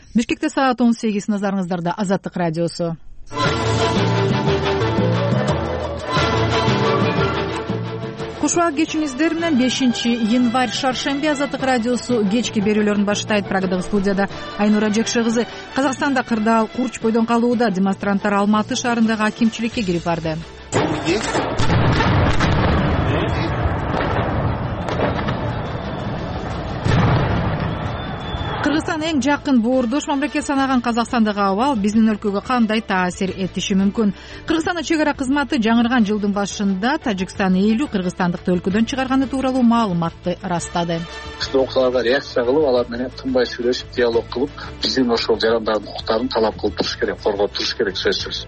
Бишкекте саат 18, назарыңыздарда Азаттык радиосу. Кушуак кечиңиздер менен 5-январь шаршемби Азаттык радиосу кечки берүүлөрүн баштайт. Программада студияда Айнура Жекше кызы. Казакстанда кырдаал курч бойдон калууда. Демонстранттар Алматы шаарындагы акимчиликке кирип барды. Кыргызстан эң жакын боордош мамлекет санаган Казакстандагы абал биздин өлкөгө кандай таасир этиши мүмкүн? Кыргызстандын чек ара кызматы жаңырган жылдын башында Тажикстан 50 кыргызстандыкты өлкөдөн чыгарганы тууралуу маалыматты ырастады. Ушул окуяларга реакция кылып, алар менен тынбай сүйлөшүп, диалог кылып, биздин ошол жарандардын укуктарын талап кылып туруш керек, коргоп туруш керек сөзсүз.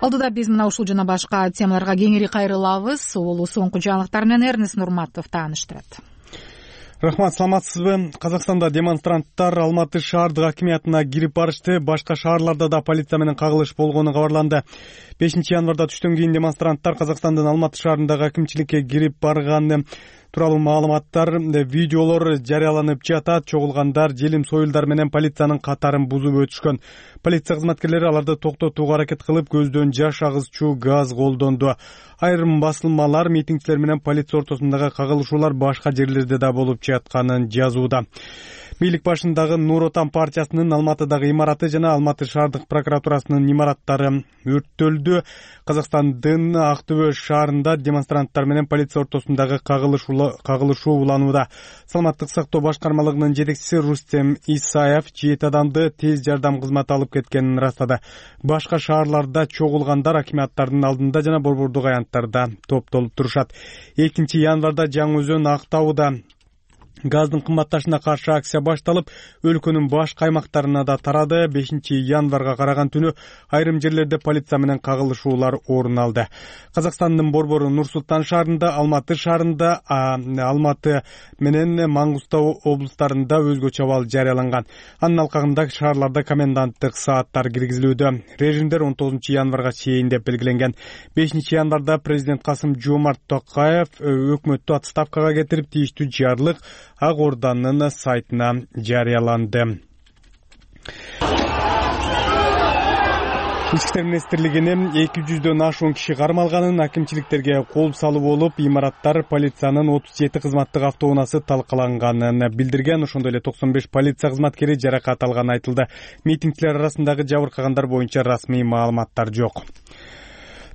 Алдыда биз мына ушул жана башка темаларга кеңири кайрылабыз. Улуу соңку жаңылыктар менен Эрнест Нурматов тааныштырат. Рахмат, саламатсызбы? Казакстанда демонстранттар Алматы шаардык акимиятына кирип барышты. Башка шаарларда да полиция менен кагылыш болгону кабарланды. 5-январда түштөн кийин демонстранттар Казакстандын Алматы шаарындагы акимчиликке кирип барганы тууралуу маалыматтар, видеолор жарыяланып жатат. Чогулгандар желим союлдар менен полициянын катарын бузуп өтүшкөн. Полиция кызматкерлери аларды токтотууга аракет кылып, көздөн жаш агызчу газ колдонду. Айрым басылмалар митингчилер менен полиция ортосундагы кагылышуулар башка жерлерде да болуп жатканын жазууда. Бийлик башындагы Нур Отан партиясынын Алматыдагы имараты жана Алматы шаардык прокуратурасынын имараттары өрттөлдү. Казакстандын Ак Төбө шаарында демонстранттар менен полиция ортосундагы кагылышуу уланууда. Саламаттык сактоо башкармалыгынын жетекчиси Рустем Исаев 7 адамды тез жардам кызматы алып кеткенин ырастады. Башка шаарларда чогулгандар акимияттардын алдында жана борбордук аянттарда топтолуп турушат. 2-январда Жаңы Өзөн, Актауда газдын кымбатташына каршы акция башталып, өлкөнүн башка аймактарына да тарады. 5-январга караган түнү айрым жерлерде полиция менен кагылышуулар орун алды. Казакстандын борбору Нур-Султан шаарында, Алматы шаарында, Алматы менен Маңгыстау облустарында өзгөчө абал жарыяланган. Анын алкагында шаарларда коменданттык сааттар киргизилүүдө. Режимдер 19-январга чейин деп белгиленген. 5-январда президент Касым-Жомарт Токаев өкмөттү отставкага кетирип, тийиштүү жарлык Ак Орданын сайтына жарыяланды. Ички иштер министрлигинин 200дөн ашуун киши кармалганын, акимчиликтерге кол салуу болуп, имараттар полициянын 37 кызматтык автоунаасы талкаланганын билдирген. Ошондой эле 95 полиция кызматкери жаракат алганы айтылды. Митингчилер арасындагы жабыркагандар боюнча расмий маалыматтар жок.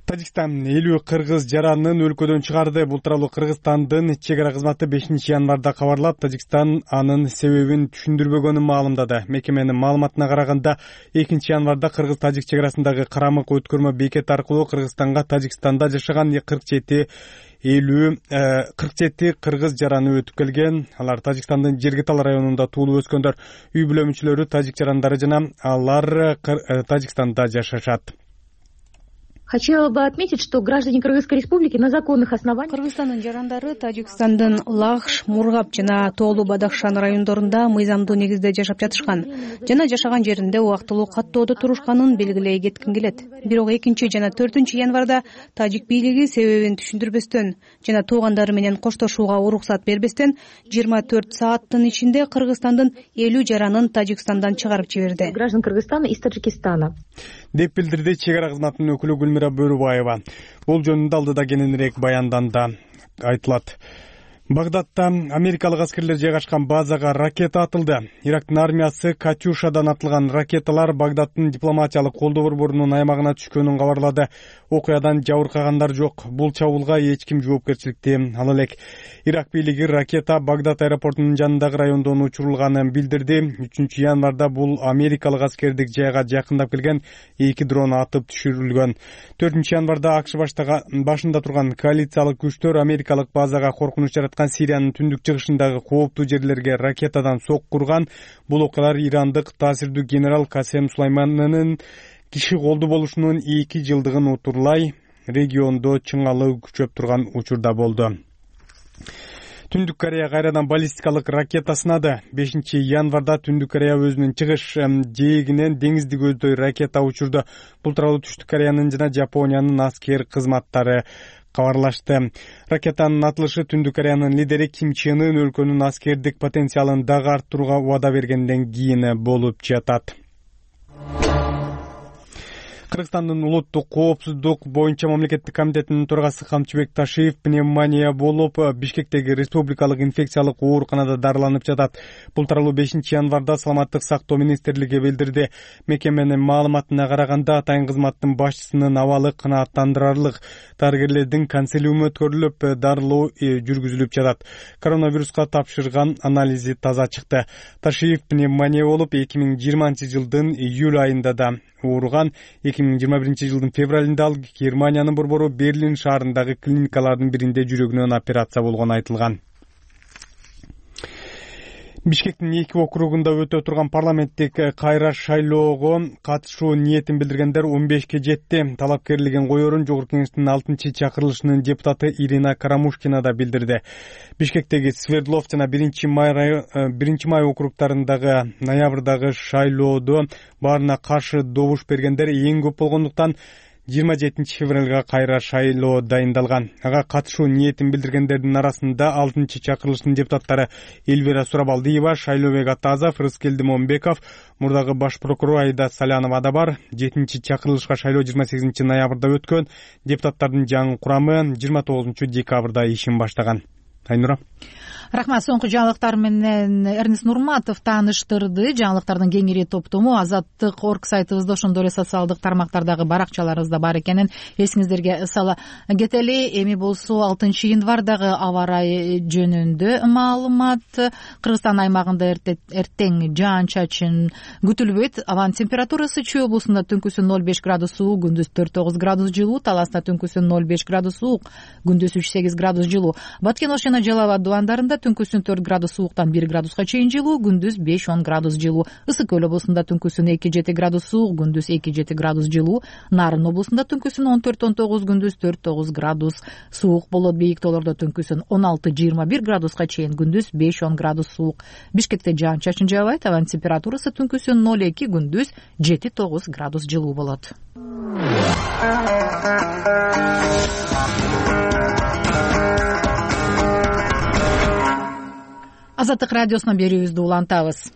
Тажикстан 50 кыргыз жаранын өлкөдөн чыгарды. Бул тууралуу Кыргызстандын чек ара кызматы 5-январда кабарлап, Тажикстан анын себебин түшүндүрбөгөнүн маалымдады. Мекеменин маалыматына караганда, 2-январда кыргыз-тажик чек арасындагы Карамык өткөрмө бекети аркылуу Кыргызстанга Тажикстанда жашаган 47 кыргыз жараны өтүп келген. Алар Тажикстандын Жергитал районунда туулуп өскөндөр. Үй бүлө мүчөлөрү тажик жарандары жана алар Тажикстанда жашашат. Хотела бы отметить, что граждане Кыргызской республики на законных основаниях... Кыргызстандын жарандары Тажикстандын Лахш, Мургап жана Тоолу Бадахшан райондорунда мыйзамдуу негизде жашап жатышкан жана жашаган жеринде убактылуу каттоодо турушканын белгилей кетким келет. Бирок 2 жана 4 январда тажик бийлиги себебин түшүндүрбөстөн жана туугандары менен коштошууга уруксат бербестен 24 сааттын ичинде Кыргызстандын 50 жаранын Тажикстандан чыгарып жиберди. Граждан Кыргызстана из Таджикистана. Деп билдирди чек ара кызматынын өкүлү Гүлмира Бөрүбаева. Бул жөнүндө алдыда кененирээк баянданда айтылат. Багдадта америкалык аскерлер жайгашкан базага ракета атылды. Ирактын армиясы Катюшадан атылган ракеталар Багдадтын дипломатиялык колдоо борборунун аймагына түшкөнүн кабарлады. Окуядан жабыркагандар жок. Бул чабуулга эч ким жоопкерчиликти ала элек. Ирак бийлиги ракета Багдад аэропортунун жанындагы райондон учурулганын билдирди. 3-январда бул америкалык аскердик жайга жакындап келген 2 дрон атып түшүрүлгөн. 4-январда АКШ башында турган коалициялык күчтөр америкалык базага коркунуч жараткан Сириянын түндүк чыгышындагы кооптуу жерлерге ракетадан соккурган. Бул окуялар ирандык таасирдүү генерал Касем Сулайманынын киши колду болушунун 2 жылдыгын утурлай региондо чыңалуу күчөп турган учурда болду. Түндүк Корея кайрадан баллистикалык ракета сынады. 5-январда Түндүк Корея өзүнүн чыгыш жээгинен деңизди көздөй ракета учурду. Бул тууралуу Түштүк Кореянын жана Жапониянын аскер кызматтары кабарлашты. Ракетанын атылышы Түндүк Кореянын лидери Ким Чен Ын өлкөнүн аскердик потенциалын дагы арттырууга убада бергенден кийин болуп жатат. Кыргызстандын улуттук коопсуздук боюнча мамлекеттик комитетинин төрагасы Камчыбек Ташиев пневмония болуп Бишкектеги республикалык инфекциялык ооруканада дарыланып жатат. Бул тууралуу 5-январда Саламаттык сактоо министрлиги билдирди. Мекеменин маалыматына караганда атайын кызматтын башчысынын абалы канааттандырарлык. Дарыгерлердин консилиуму өткөрүлүп, дарылоо жүргүзүлүп жатат. Коронавируска тапшырган анализи таза чыкты. Ташиев пневмония болуп 2020-жылдын июль айында да ооруган. 2021-жылдын февралында ал Германиянын борбору Берлин шаарындагы клиникалардын биринде жүрөгүнөн операция болгону айтылган. Бишкектин 2 округунда өтө турган парламенттик кайра шайлоого катышуу ниетин билдиргендер 15ке жетти. Талапкерлигин коерун Жогорку Кеңештин 6-чакырылышынын депутаты Ирина Карамушкина да билдирди. Бишкектеги Свердлов жана 1-май округтарындагы ноябрдагы шайлоодо баарына каршы добуш бергендер эң көп болгондуктан 27 февралга кайра шайлоо дайындалган. Ага катышуу ниетин билдиргендердин арасында 6-чакырылыштын депутаттары Эльвира Сурабалдиева, Шайлообек Атазов, Рыскелди Момбеков, мурдагы баш прокурор Айда Салянова да бар. 7-чакырылышка шайлоо 28 ноябрда өткөн. Депутаттардын жаңы курамы 29 декабрда ишин баштаган. Айнура. Рахмат. Соңку жаңылыктар менен Эрнест Нурматов тааныштырды. Жаңылыктардын кеңири топтому Азаттык орг сайтыбызда, ошондой эле социалдык тармактардагы баракчаларыбызда бар экенин эсиңиздерге сала кетели. Эми болсо 6-январдагы аба ырайы жөнүндө маалымат. Кыргызстан аймагында эртең жаан-чачын күтүлбөйт. Абанын температурасы Чүй облусунда түнкүсүн 0,5 градус суук, күндүз 4-9 градус жылуу, Таласта түнкүсүн 0,5 градус суук, күндүз 3-8 градус жылуу. Баткен Ош жана Жалал Абад дубандарында түнкүсүн 4 градус сууктан 1 градуска чейин жылуу, күндүз 5-10 градус жылуу. Ысык Көл облусунда түнкүсүн 2-7 градус суук, күндүз 2-7 градус жылуу. Нарын облусунда түнкүсүн 14-19, күндүз 4-9 градус суук болот. Бийик тоолордо түнкүсүн 16-21 градуска чейин, күндүз 5-10 градус суук. Бишкекте жаан-чачын жаабайт. Абанын температурасы түнкүсүн 0,2, күндүз 7-9 градус жылуу болот. Азаттык радиосунан берүүбүздү улантабыз.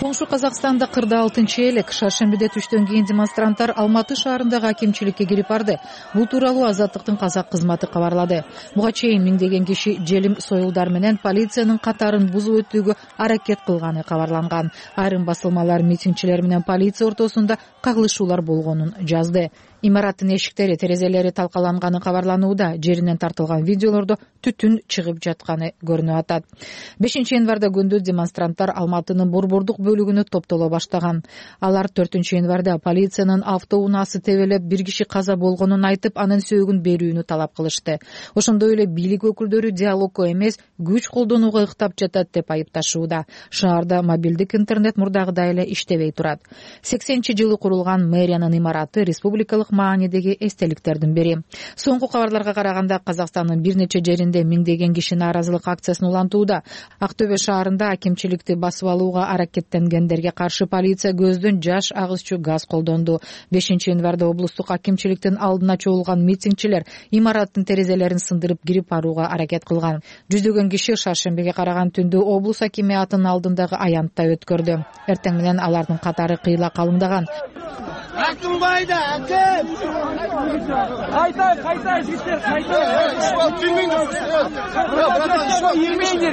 Коңшу Казакстанда 46-элек шаршембиде түштөн кийин демонстранттар Алматы шаарындагы акимчиликке кирип барды. Бул тууралуу Азаттыктын казак кызматы кабарлады. Буга чейин миңдеген киши желим союлдар менен полициянын катарын бузуп өтүүгө аракет кылганы кабарланган. Айрым басылмалар митингчилер менен полиция ортосунда кагылышуулар болгонун жазды. Имараттын эшиктери, терезелери талкаланганы кабарланууда. Жеринен тартылган видеолордо түтүн чыгып жатканы көрүнүп атат. 5-январда күндүз демонстранттар Алматынын борбордук бөлүгүнө топтоло баштаган. Алар 4-январда полициянын автоунаасы тебелеп, бир киши каза болгонун айтып, анын сөөгүн берүүнү талап кылышты. Ошондой эле бийлик өкүлдөрү диалогко эмес, күч колдонууга ыктап жатат деп айыпташууда. Шаарда мобилдик интернет мурдагыдай эле иштебей турат. 80-жылы курулган мэриянын имараты республикалык маанидеги эстеликтердин бири. Соңку кабарларга караганда Казакстандын бир нече жеринде миңдеген киши нааразылык акциясын улантууда. Актөбө шаарында акимчиликти басып алууга аракеттенгендерге каршы полиция көздөн жаш агызчу газ колдонду. 5-январда облустук акимчиликтин алдына чогулган митингчилер имараттын терезелерин сындырып кирип барууга аракет кылган. Жүздөгөн киши шаршембиге караган түндө облус акимиятынын алдындагы аянтта өткөрдү. Эртең менен алардын катары кыйла калыңдаган. Артынбайды, әкем! Қайта, жігіттер, қайта!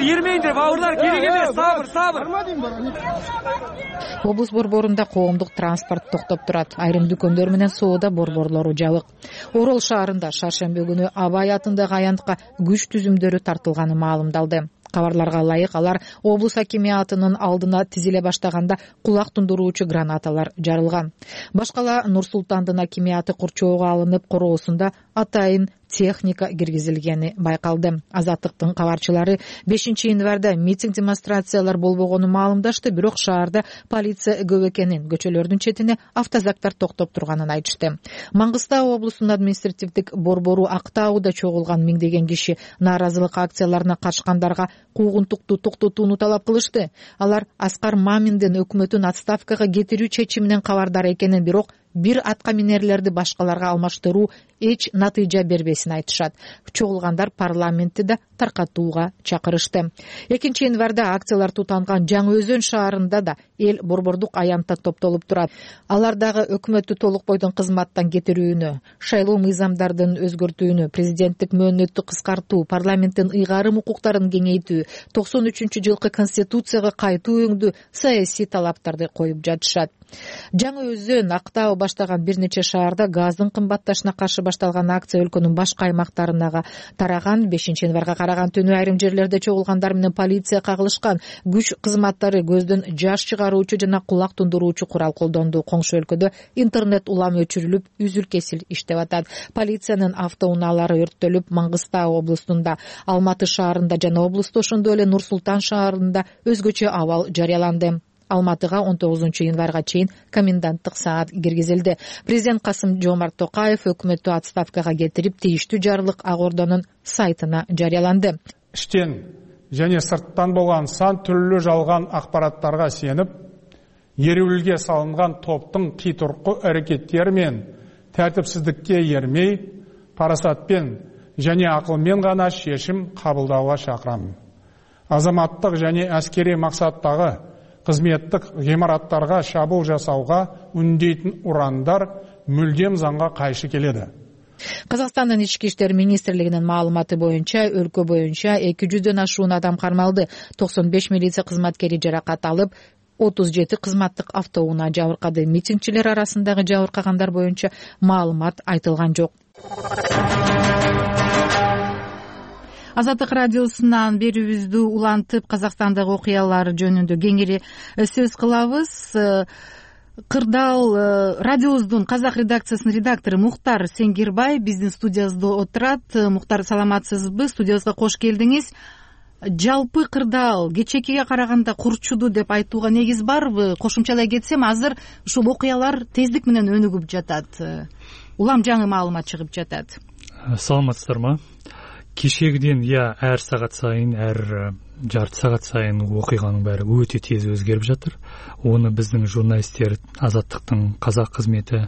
Ермейіндер, бауырлар, керек емес, сабыр. Облус борборунда коомдук транспорт токтоп турат. Айрым дүкөндөр менен соода борборлору жабык. Орол шаарында шаршемби күнү Абай атындагы аянтка күч түзүмдөрү тартылганы маалымдалды. Кабарларга ылайык алар облус акимиятынын алдына тизиле баштаганда кулак тундуруучу гранаталар жарылган. Башкала Нур Султандын акимияты курчоого алынып, короосунда атайын техника киргизилгени байкалды. Азаттыктын кабарчылары 5-январда митинг демонстрациялар болбогонун маалымдашты, бирок шаарда полиция көп экенин, көчөлөрдүн четине автозактар токтоп турганын айтышты. Маңгыстау облусунун административдик борбору Актауда чогулган миңдеген киши нааразылык акцияларына катышкандарга куугунтукту токтотууну талап кылышты. Алар Аскар Маминдин өкмөтүн отставкага кетирүү чечиминен кабардар экенин, бирок бир атка минерлерди башкаларга алмаштыруу эч натыйжа бербесин айтышат. Чогулгандар парламентти да таркатууга чакырышты. 2-январда акциялар тутанган Жаңы Өзөн шаарында да эл борбордук аянтта топтолуп турат. Алар дагы өкмөттү толук бойдон кызматтан кетирүүнү, шайлоо мыйзамдардын өзгөртүүнү, президенттик мөөнөттү кыскартуу, парламенттин ыйгарым укуктарын кеңейтүү, 93-жылкы конституцияга кайтуу өңдүү саясий талаптарды коюп жатышат. Жаңы Өзөн, Актау баштаган бир нече шаарда газдын кымбатташына каршы башталган акция өлкөнүн башка аймактарына тараган. 5-январга караган түнү айрым жерлерде чогулгандар менен полиция кагылышкан. Күч кызматтары көздөн жаш чыгаруучу жана кулак тундуруучу курал колдонду. Коңшу өлкөдө интернет улам өчүрүлүп, үзүл-кесил иштеп атат. Полициянын автоунаалары өрттөлүп, Маңгыстау облусунда, Алматы шаарында жана облусту, ошондой эле Нур Султан шаарында өзгөчө абал жарыяланды. Алматыга 19-январга чейин коменданттык саат киргизилди. Президент Касым-Жомарт Токаев өкмөттү отставкага кетирип, тийиштүү жарлык Ак Ордонун сайтына жарыяланды. Иштен және сырттан болгон сан түрлүү жалган акпараттарга сенip, ереуилге салынган топтун кыйтыркы аракеттери мен тартипсиздикке ермей, парасатпен және акылмен гана чечим кабылдауга чакырам. Азаматтык және аскери максаттагы кызметтик гимараттарга шабуул жасауга үндейтин урандар мүлдем заңга кайшы келеді. Казакстандын ички иштер министрлигинин маалыматы боюнча, өлкө боюнча 200дөн ашуун адам кармалды. 95 милиция кызматкери жаракат алып, 37 кызматтык автоунаа жабыркады. Митингчилер арасындагы жабыркагандар боюнча маалымат айтылган жок. Азаттык радиосунан берүүбүздү улантып, Казакстандагы окуялар жөнүндө кеңири сөз кылабыз. Кырдаал радиобуздун казак редакциясынын редактору Мухтар Сеңгирбай биздин студиябызда отурат. Мухтар, саламатсызбы? Студиябызга кош келдиңиз. Жалпы Кырдаал кечээкиге караганда курчуду деп айтууга негиз барбы? Кошумчалай кетсем, азыр ушул окуялар тездик менен өнүгүп жатат. Улам жаңы маалымат чыгып жатат. Саламатсыздарбы? Кешегиден әр сағат сайын, әр жарты сағат сайын оқиғаның бәрі өте тез өзгеріп жатыр. Оны біздің журналистер, Азаттықтың қазақ қызметі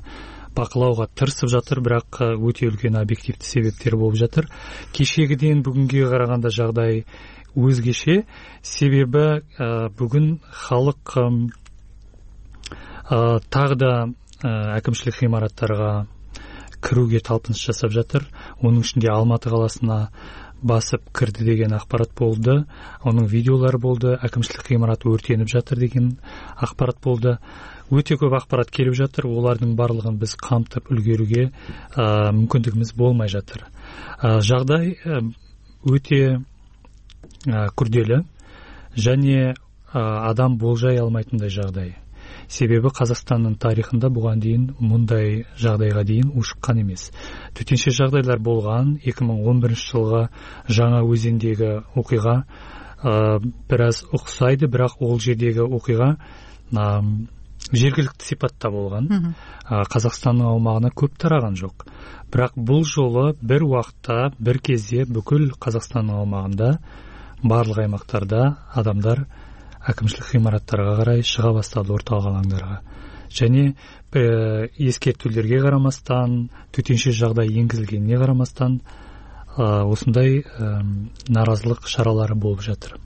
бақылауға тырысып жатыр, бірақ өте үлкен объективті себептер болып жатыр. Кешегіден бүгінге қарағанда жағдай өзгеше, себебі бүгін халық тағы да әкімшілік ғимараттарға кіруге талпыныс жасап жатыр. Оның ішінде Алматы қаласына басып кірді деген ақпарат болды. Оның видеолары болды. Әкімшілік ғимарат өртеніп жатыр деген ақпарат болды. Өте көп ақпарат келіп жатыр. Олардың барлығын біз қамтып үлгеруге мүмкіндігіміз болмай жатыр. Жағдай өте күрделі және адам болжай алмайтындай жағдай. Себебі Қазақстанның тарихында бұған дейін мұндай жағдайға дейін ушыққан емес. Төтенше жағдайлар болған 2011 жылға Жаңа Өзендегі оқиға біраз ұқсайды, бірақ ол жердегі оқиға жергілікті сипатта болған. Қазақстанның аумағына көп тараған жоқ. Бірақ бұл жолы бір уақытта, бір кезде бүкіл Қазақстанның аумағында, барлық аймақтарда адамдар әкімшілік ғимараттарға қарай шыға бастады, орталық алаңдарға. Және ескертулерге қарамастан, төтенше жағдай енгізілгеніне қарамастан, осындай наразылық шаралары болып жатыр.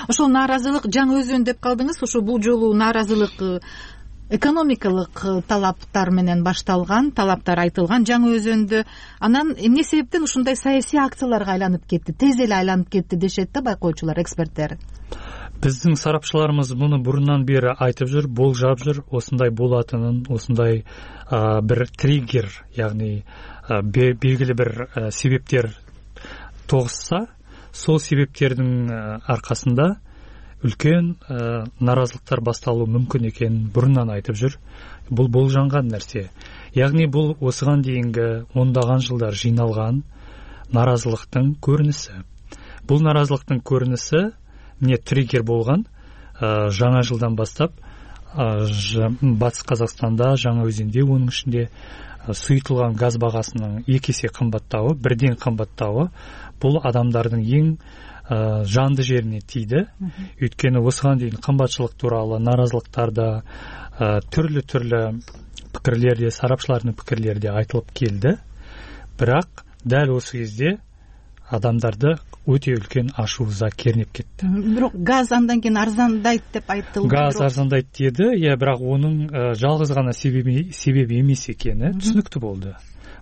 Ошол наразылык Жаңы Өзөн деп калдыңыз. Ошо бул жолу наразылык экономикалык талаптар менен башталган, талаптар айтылган Жаңы Өзөндө. Анан эмне себептен ушундай саясий акцияларга айланып кетти, тез эле айланып кетти дешет да байкоочулар, эксперттер. Біздің сарапшыларымыз мұны бұрыннан бері айтып жүр, болжап жүр, осындай болатынын, осындай бір триггер, яғни белгілі бір себептер тоғысса, сол себептердің арқасында үлкен наразылықтар басталуы мүмкін екенін бұрыннан айтып жүр. Бұл болжанған нәрсе. Яғни бұл осыған дейінгі ондаған жылдар жиналған нааразылыктын көрүнүшү. Бул нааразылыктын көрүнүшү эмне триггер болгон? Жаңа жылдан баштап Батыс Казакстанда, Жаңа Өзенде, онун ичинде суютулган газ багасынын 2 эсе кымбаттабы, бірден кымбаттабы бул адамдардын ең жанды жерине тийди. Өйткөнү осыған дейин кымбатчылык тууралуу нааразылыктарда түрлүү пикирлерде, сарапчылардын пикирлерде айтылып келди. Бирок дәл осы кезде адамдарды өтө үлкен ашууза кернеп кетти. Бирок газ андан кийин арзандайт деп айтылды. Газ арзандайт деди, бирок онун жалгыз гана себеби эмес экени түшүнүктүү болду.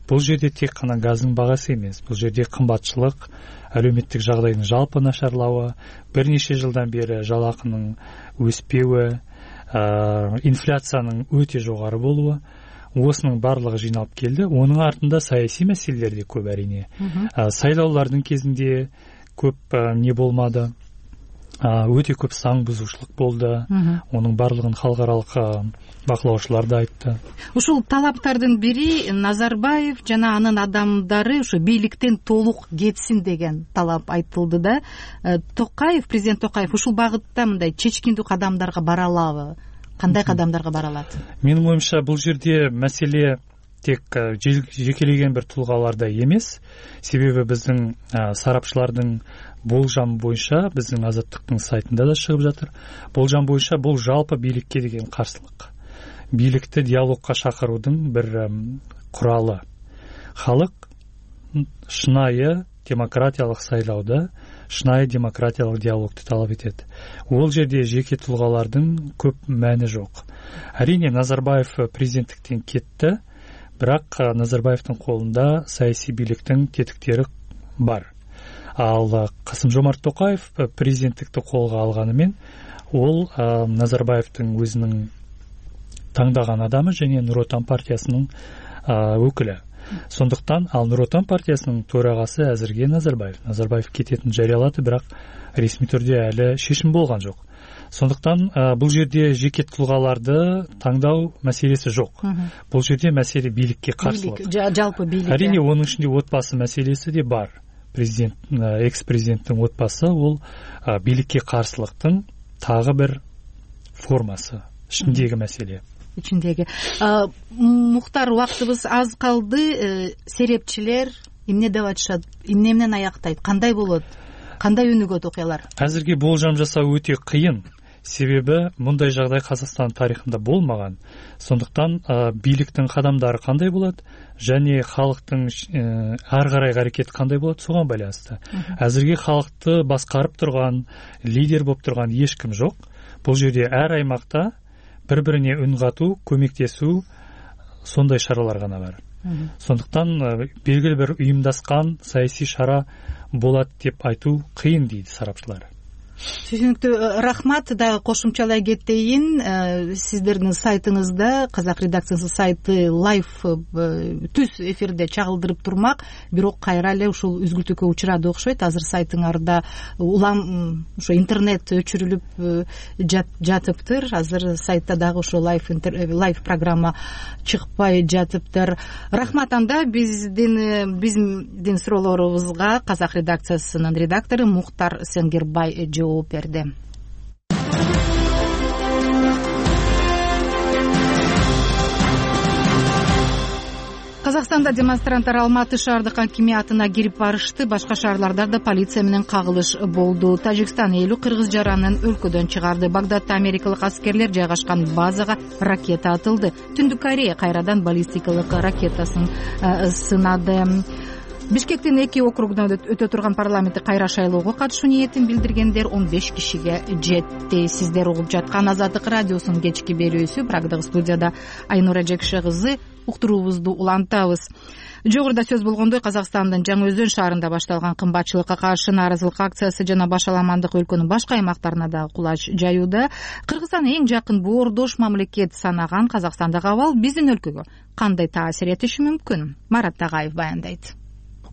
Бул жерде тек гана газдын багасы эмес, бул жерде кымбатчылык, әлеуметтик жагдайдын жалпы нашарлабы, бир нече жылдан бери жалакынын өспөбү, инфляциянын өтө жогору болуу, осынын барлыгы жыйналып келди. Онун артында саясий маселелер де көп әрине. Сайлаулардын кезинде көп не болмады. Өтө көп заң бузушулук болду. Онун барлыгын халыкаралык бакылоочулар да айтты. Ушул талаптардын бири Назарбаев жана анын адамдары ушу бийликтен толук кетсин деген талап айтылды да. Президент Токаев ушул багытта мындай чечкиндүү кадамдарга бара алабы? Кандай кадамдарга бара алат? Менин оюмча бул жерде маселе тек жекелеген бир тулгаларда эмес. Себеби биздин сарапчылардын болжам боюнча, биздин Азаттыктын сайтында да чыгып жатыр. Болжам боюнча бул жалпы бийликке деген каршылык. Бийликти диалогко чакыруудун бир куралы. Халык шынайы демократиялык сайлауда шынайы демократиялык диалогду талап этет. Ол жерде жеке тулгалардын көп маани жок. Әрине Назарбаев президенттиктен кетти, бирок Назарбаевдин колунда саясий бийликтин тетиктери бар. Ал Касым-Жомарт Токаев президенттикти колго алганы менен ол Назарбаевдин өзүнүн таңдаган адамы және Нур Отан партиясынын өкүлү. Сондықтан ал Нур Отан партиясынын төрагасы азырге Назарбаев. Назарбаев кететин жарыялады, бирок ресми түрдө әлі шешим болгон жок. Сондықтан бул жерде жеке тулгаларды таңдау маселеси жок. Бул жерде маселе бийликке каршылык. Жалпы бийлик. Әрине онун ичинде отбасы маселеси де бар. Экс-президенттин отбасы ол бийликке каршылыктын тагы бир формасы. Ичиндеги маселе. Мухтар, убактыбыз аз калды. Серепчилер эмне деп айтышат? Эмне менен аяктайт? Кандай болот? Кандай өнүгөт окуялар? Азыркы болжам жасоо өтө кыйын. Себеби мындай жагдай Казакстан тарыхында болмаган. Сондуктан бийликтин кадамдары кандай болот және халыктын ар карайкы аракети кандай болот, согон байланыштуу. Азыркы халыкты баскарып турган, лидер болуп турган эч ким жок. Бул жерде ар аймакта бір-біріне үн қату, көмектесу, сондай шаралар ғана бар. Сондықтан белгілі бір ұйымдасқан саяси шара болады деп айту қиын дейді сарапшылар. Түшүнүктүү, рахмат. Да кошумчалай кетейин, сиздердин сайтыңызда, Казак редакциясынын сайты лайв түз эфирде чагылдырып турмак, бирок кайра эле ушул үзгүлтүүгө учурады окшойт. Азыр сайтыңарда улам ошо интернет өчүрүлүп жатыптыр. Азыр сайтта дагы ошо лайв программа чыкпай жатыптыр. Рахмат. Анда биздин суроолорубузга Казак редакциясынын редактору Мухтар Сенгербай жооп берди. Казакстанда демонстранттар Алматы шаардык акимиятына кирип барышты. Башка шаарларда да полиция менен кагылыш болду. Тажикстан элү кыргыз жаранын өлкөдөн чыгарды. Багдадда америкалык аскерлер жайгашкан базага ракета атылды. Түндүк Корея кайрадан баллистикалык ракетасын сынады. Бишкектин 2 округунда өтө турган парламенттик кайра шайлоого катышуу ниетин билдиргендер 15 кишиге жетти. Сиздер угуп жаткан Азаттык радиосунун кечки берүүсү. Прагдагы студияда Айнура Жекше кызы. Уктуруубузду улантабыз. Жогоруда сөз болгондой, Казакстандын Жаңы Өзөн шаарында башталган кымбатчылыкка каршы нааразылык акциясы жана башаламандык өлкөнүн башка аймактарына да кулач жаюуда. Кыргызстан эң жакын боордош мамлекет санаган Казакстандагы абал биздин өлкөгө кандай таасир этиши мүмкүн? Марат Тагаев баяндайт.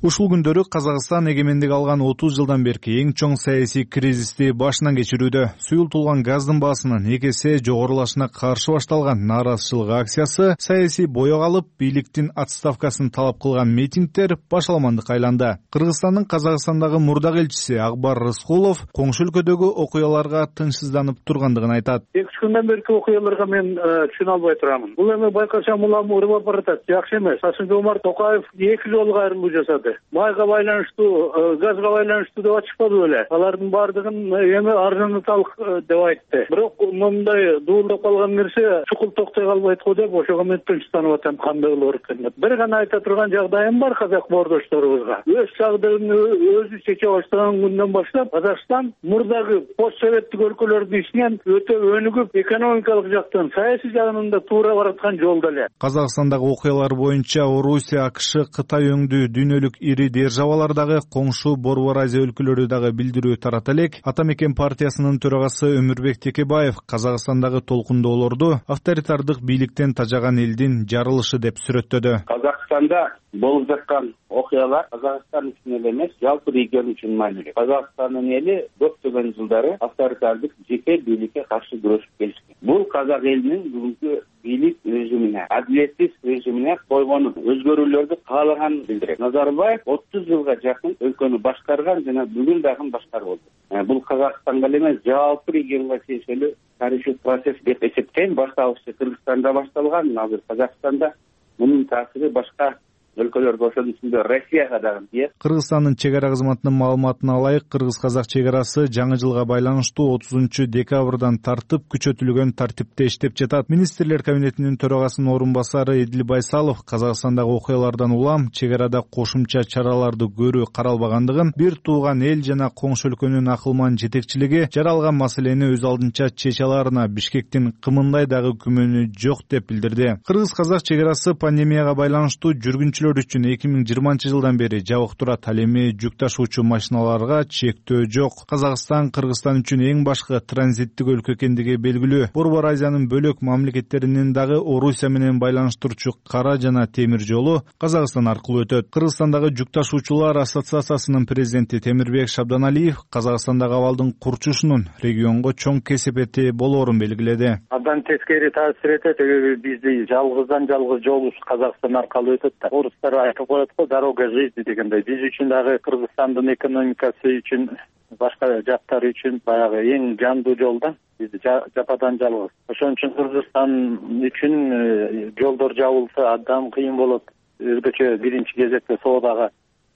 Ушул күндөрү Казакстан эгемендик алган 30 жылдан берки эң чоң саясий кризисти башынан кечирүүдө. Суюлтулган газдын баасынын 2 эсе жогорулашына каршы башталган нааразычылык акциясы саясий боёк алып, бийликтин отставкасын талап кылган митингдер башаламандыкка айланды. Кыргызстандын Казакстандагы мурдак элчиси Акбар Рыскулов коңшу өлкөдөгү окуяларга тынчсызданып тургандыгын айтат. 2-3 күндөн берки окуяларга мен түшүнө албай турамын. Бул эми байкасам улам урап баратат, жакшы эмес. Касым-Жомарт Токаев 2 жолу кайрымдуу жасады. Майга байланыштуу, газга байланыштуу деп ачышпады беле. Алардын баардыгын эми арзаныталык деп айтты. Бирок мындай дуулдап калган нерсе чукул токтой калбайт го деп ошого мен тынчсызданып атам, кандай болор экен деп. Бир гана айта турган жагдайым бар казак боордошторубузга. Өз жагдыгын өзү чече баштаган күндөн баштап Казакстан мурдагы постсоветтик өлкөлөрдүн ичинен өтө өнүгүп, экономикалык жактан, саясий жагынан да туура бараткан жолдо эле. Казакстандагы окуялар боюнча Орусия, АКШ, Кытай өңдүү дүйнөлүк ири державалар дагы коңшу Борбор Азия өлкөлөрү дагы билдирүү тарата элек. Ата мекен партиясынын төрагасы Өмүрбек Текебаев Казакстандагы толкундоолорду авторитардык бийликтен тажаган элдин жарылышы деп сүрөттөдү. Казакстанда болуп жаткан окуялар Казакстан үчүн эле эмес, жалпы регион үчүн маанилүү. Казакстандын эли көптөгөн жылдары авторитардык жеке бийликке каршы күрөшүп келишкен. Бул казак элинин бүгүнкү бийлик режимине, адилетсиз режимине койгонун, өзгөрүүлөрдү каалаганын билдирет. Назарбаев 30 жылга жакын өлкөнү башкарган жана бүгүн дагы башкарып отур. Бул Казакстанга эле эмес, жалпы регионго тиешелүү тарыхый процесс деп эсептейм. Башталышы Кыргызстанда башталган, азыр Казакстанда мунун таасири башка өлкөлөргө, ошонун ичинде Россияга дагы тиет. Кыргызстандын чек ара кызматынын маалыматына ылайык, кыргыз-казак чек арасы жаңы жылга байланыштуу 30 декабрдан тартып күчөтүлгөн тартипте иштеп жатат. Министрлер кабинетинин төрагасынын орун басары Эдил Байсалов Казакстандагы окуялардан улам чек арада кошумча чараларды көрүү каралбагандыгын, бир тууган эл жана коңшу өлкөнүн акылман жетекчилиги жаралган маселени өз алдынча чече аларына Бишкектин кымындай дагы күмөнү жок деп билдирди. Кыргыз-казак чек арасы пандемияга байланыштуу жүргүнчү үчүн 2020 жылдан бери жабык турат. Ал эми жүк ташуучу машиналарга чектөө жок. Казакстан Кыргызстан үчүн эң башкы транзиттик өлкө экендиги белгилүү. Борбор Азиянын бөлөк мамлекеттеринин дагы Орусия менен байланыштырчу кара жана темир жолу Казакстан аркылуу өтөт. Кыргызстандагы жүк ташуучулар ассоциациясынын президенти Темирбек Шабданалиев Казакстандагы абалдын курчушунун регионго чоң кесепети болоорун белгиледи. Абдан тескери таасир этет, бизди жалгыздан жалгыз жолубуз Казакстан аркылуу өтөт да. Орустар айтып коет го, дорога жизни дегендей. Биз үчүн дагы Кыргызстандын экономикасы үчүн, башка жактары үчүн баягы эң жандуу жол да. Биз жападан жалгыз. Ошон үчүн Кыргызстан үчүн жолдор жабылса абдан кыйын болот. Өзгөчө биринчи кезекте соодага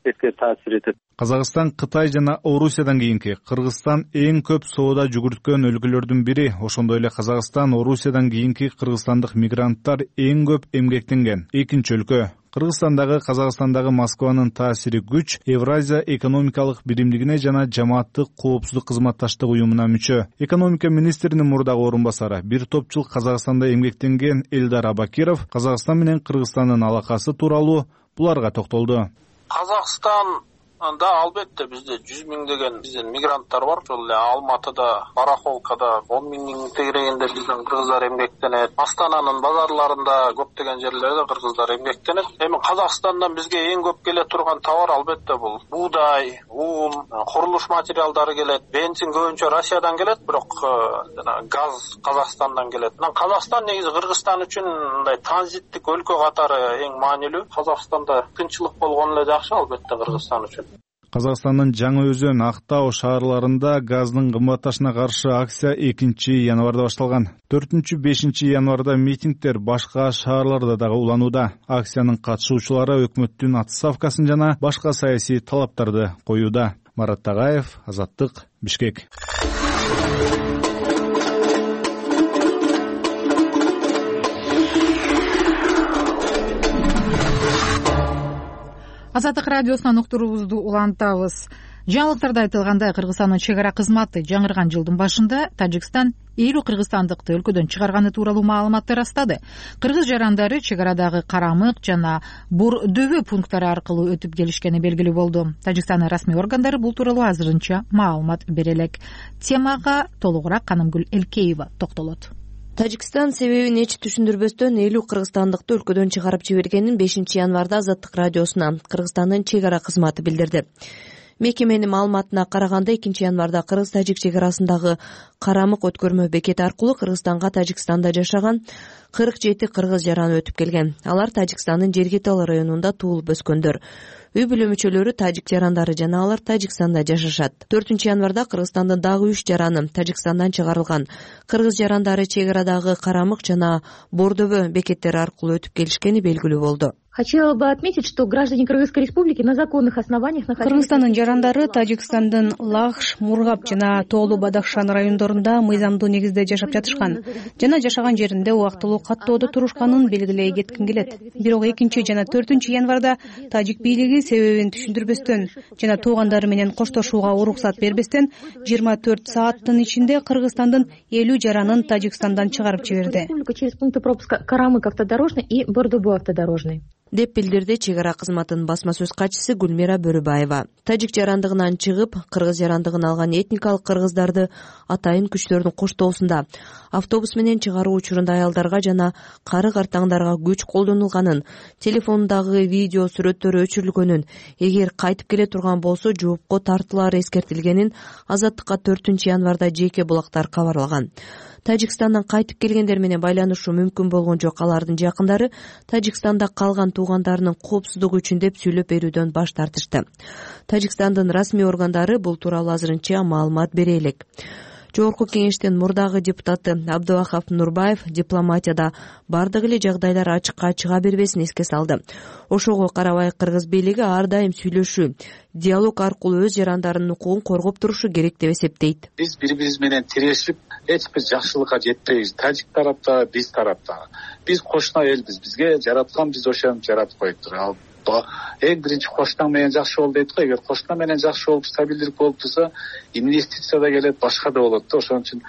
тескери таасир этет. Казакстан Кытай жана Орусиядан кийинки Кыргызстан эң көп соода жүгүрткөн өлкөлөрдүн бири. Ошондой эле Казакстан Орусиядан кийинки кыргызстандык мигранттар эң көп эмгектенген экинчи өлкө. Кыргызстандагы Казакстандагы Москванын таасири күч Евразия экономикалык биримдигине жана жамааттык коопсуздук кызматташтык уюмуна мүчө. Экономика министринин мурдагы орун басары, бир топ жыл Казакстанда эмгектенген Элдар Абакиров Казакстан менен Кыргызстандын алакасы тууралуу буларга токтолду. Казакстанда албетте бизде 100 миңдеген бизден мигранттар бар. Ошол эле Алматыда, Барахолкада 10 миңдин тегерегинде бизден кыргыздар эмгектенет. Астананын базарларында көптөгөн жерлерде кыргыздар эмгектенет. Эми Казакстандан бизге эң көп келе турган товар албетте бул буудай, ун, курулуш материалдары келет. Бензин көбүнчө Россиядан келет, бирок жана газ Казакстандан келет. Казакстан негизи Кыргызстан үчүн мындай транзиттик өлкө катары эң маанилүү. Казакстанда тынччылык болгону эле жакшы албетте Кыргызстан үчүн. Казакстандын Жаңы Өзөн, Актау шаарларында газдын кымбатташына каршы акция 2 январда башталган. 4-5 январда митингдер башка шаарларда дагы уланууда. Акциянын катышуучулары өкмөттүн отставкасын жана башка саясий талаптарды коюуда. Марат Тагаев, Азаттык, Бишкек. Азаттык радиосунан уктуруубузду улантабыз. Жаңылыктарда айтылгандай, Кыргызстандын чек ара кызматы жаңырган жылдын башында Тажикстан 50 кыргызстандыкты өлкөдөн чыгарганы тууралуу маалыматты ырастады. Кыргыз жарандары чек арадагы Карамык жана Бур дөбө пункттары аркылуу өтүп келишкени белгилүү болду. Тажикстандын расмий органдары бул тууралуу азырынча маалымат бере элек. Темага толугураак Канымгүл Элкеева токтолот. Тажикстан себебин эч түшүндүрбөстөн 50 кыргызстандыкты өлкөдөн чыгарып жибергенин 5-январда Азаттык радиосуна Кыргызстандын чек ара кызматы билдирди. Мекеменин маалыматына караганда 2-январда кыргыз-тажик чек арасындагы Карамык өткөрмө бекети аркылуу Кыргызстанга Тажикстанда жашаган 47 кыргыз жараны өтүп келген. Алар Тажикстандын Жергетал районунда туулуп өскөндөр. Үй бүлө мүчөлөрү тажик жарандары жана алар Тажикстанда жашашат. 4-январда Кыргызстандын дагы 3 жараны Тажикстандан чыгарылган. Кыргыз жарандары чек арадагы Карамык жана Бордобө бекеттери аркылуу өтүп келишкени белгилүү болду. Хотела бы отметить, что граждане Кыргызской республики на законных основаниях Кыргызстандын жарандары Тажикстандын Лахш, Мургап жана Тоолу Бадахшан райондорунда мыйзамдуу негизде жашап жатышкан жана жашаган жеринде убактылуу каттоодо турушканын белгилей кетким келет. Бирок 2 жана 4-январда тажик бийлиги себебин түшүндүрбөстөн жана туугандары менен коштошууга уруксат бербестен 24 сааттын ичинде Кыргызстандын 50 жаранын Тажикстандан чыгарып жиберди. Через пункты пропуска Карамык автодорожный и Бордобо автодорожный. Деп билдирди чек ара кызматынын басма сөз катчысы Гүлмира Бөрүбаева. Тажик жарандыгынан чыгып, кыргыз жарандыгын алган этникалык кыргыздарды атайын күчтөрдүн коштоосунда автобус менен чыгаруу учурунда аялдарга жана кары картаңдарга күч колдонулганын, телефондагы видео сүрөттөрү өчүрүлгөнүн, эгер кайтып келе турган болсо жоопко тартылары эскертилгенин Азаттыкка 4-январда жеке булактар кабарлаган. Тажикстандан кайтып келгендер менен байланышуу мүмкүн болгон жок. Алардын жакындары Тажикстанда калган туугандарынын коопсуздугу үчүн деп сүйлөп берүүдөн баш тартышты. Тажикстандын расмий органдары бул тууралуу азырынча маалымат бере элек. Жогорку кеңештин мурдагы депутаты Абдывахап Нурбаев дипломатияда бардык эле жагдайлар ачыкка чыга бербесин эске салды. Ошого карабай кыргыз бийлиги ар дайым сүйлөшүү, диалог аркылуу өз жарандарынын укугун коргоп турушу керек деп эсептейт. Биз бири-бирибиз менен тирешип, эч бир жакшылыкка жетпейбиз. Тажик тарапта, биз тарапта. Биз кошуна элбиз. Бизге жараткан биз ошентип жаратып коюптур. Эң биринчи кошунаң менен жакшы бол дейт го. Эгер кошуна менен жакшы болуп, стабилдүүлүк болуп турса, инвестиция да келет, башка да болот да. Ошон үчүн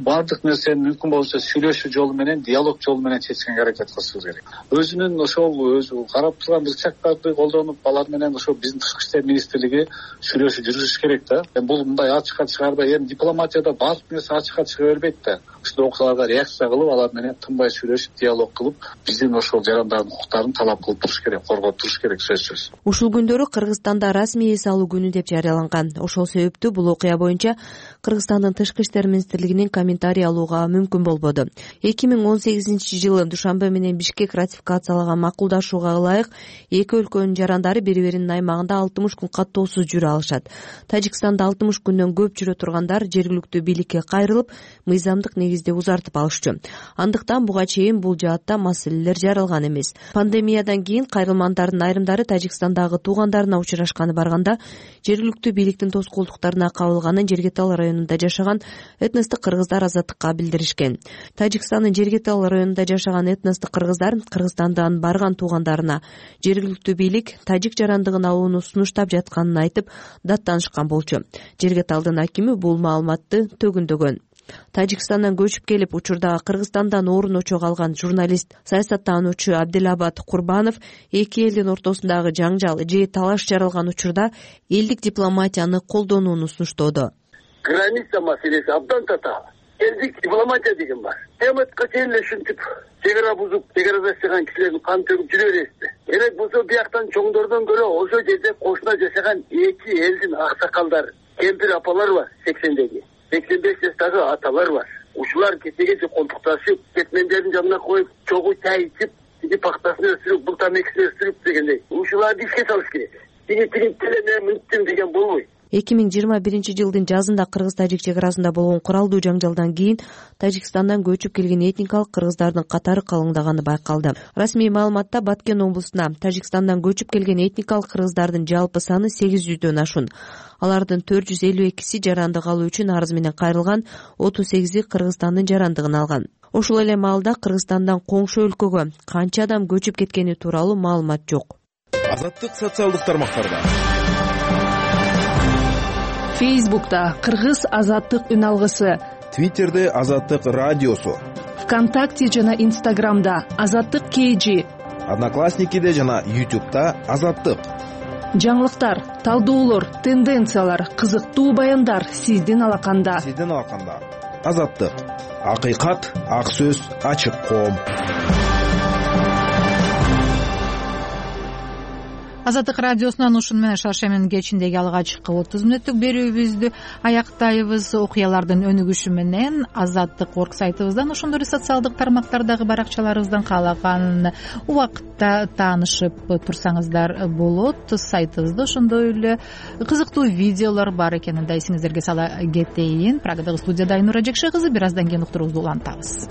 бардык нерсени мүмкүн болсо сүйлөшүү жолу менен, диалог жолу менен чечкенге аракет кылышыбыз керек. Өзүнүн ошол өзү карап турган ырчактарды колдонуп, алар менен ошо биздин тышкы иштер министрлиги сүйлөшүү жүргүзүш керек да. Бул мындай ачыкка чыгарбай, эми дипломатияда бардык нерсе ачыкка чыга бербейт да. Ушул окуяларга реакция кылып, алар менен тынбай сүйлөшүп, диалог кылып, биздин ошол жарандардын укуктарын талап кылып туруш керек, коргоп туруш керек сөзсүз. Ушул күндөрү Кыргызстанда расмий эс алуу күнү деп жарыяланган. Ошол себептүү бул окуя боюнча Кыргызстандын тышкы иштер министрлигинин комментарий алууга мүмкүн болбоду. 2018-жылы Душанбе менен Бишкек ратификациялаган макулдашууга ылайык эки өлкөнүн жарандары бири-биринин аймагында 60 күн каттоосуз жүрө алышат. Тажикстанда 60 күндөн көп жүрө тургандар жергиликтүү бийликке кайрылып, мыйзамдык негизде узартып алышчу. Андыктан буга чейин бул жаатта маселелер жаралган эмес. Пандемиядан кийин кайрылмандардын айрымдары Тажикстандагы туугандарына учурашканы барганда жергиликтүү бийликтин тоскоолдуктарына кабылганын Жергетал районунда жашаган этностук кыргыздар Азаттыкка билдиришкен. Тажикстандын Жергетал районунда жашаган этностук кыргыздар Кыргызстандан барган туугандарына жергиликтүү бийлик тажик жарандыгын алууну сунуштап жатканын айтып даттанышкан болчу. Жергеталдын акими бул маалыматты төгүндөгөн. Тажикстандан көчүп келип учурда Кыргызстандан орун очок алган журналист, саясаттануучу Абдилабад Курбанов эки элдин ортосундагы жаңжал же талаш жаралган учурда элдик дипломатияны колдонууну сунуштоодо. Граница маселеси абдан татаал. Элдик дипломатия деген бар. Кыяматка чейин эле ушинтип чек ара бузуп, чек арада жашаган кишилердин каны төгүп жүрө бересиз. Керек болсо бияктан чоңдордон көрө ошол жерде кошуна жашаган эки элдин аксакалдары, кемпир апалар бар 80-деги. 85 жаштагы аталар бар. Ушулар кечеге колтукташып, кетмендердин жанына коюп, чогуу чай ичип, тиги пактасын өстүрүп, бул тамекисин өстүрүп дегендей. Ушуларды ишке салыш керек. Тиги мен мынттым деген болбойт. 2021-жылдын жазында кыргыз-тажик чек арасында болгон куралдуу жаңжалдан кийин Тажикстандан көчүп келген этникалык кыргыздардын катары калыңдаганы байкалды. Расмий маалыматта Баткен облусуна Тажикстандан көчүп келген этникалык кыргыздардын жалпы саны 800дөн ашуун. Алардын 452си жарандык алуу үчүн арыз менен кайрылган, 38и Кыргызстандын жарандыгын алган. Ошол эле маалда Кыргызстандан коңшу өлкөгө канча адам көчүп кеткени тууралуу маалымат жок. Азаттык социалдык тармактарда. Фейсбукта Кыргыз Азаттык үн алгысы, Твиттерде Азаттык радиосу, ВКонтакте жана Инстаграмда Азаттык KG, Одноклассникиде жана YouTube'да Азаттык. Жаңылыктар, талдоолор, тенденциялар, кызыктуу баяндар сиздин алаканда. Азаттык. акыйкат, ак сөз, ачык коом. Азаттык радиосунан ушуну менен шаршембинин кечиндеги алгачкы 30 мүнөттүк берүүбүздү аяктайбыз. Окуялардын өнүгүшү менен Азаттык орг сайтыбыздан ошондой эле социалдык тармактардагы баракчаларыбыздан каалаган убакытта таанышып турсаңыздар болот. Сайтыбызда ошондой эле кызыктуу видеолор бар экенин да эсиңиздерге сала кетейин. Прагадагы студияда Айнура Жекше кызы. Бир аздан кийин уктуруубузду улантабыз.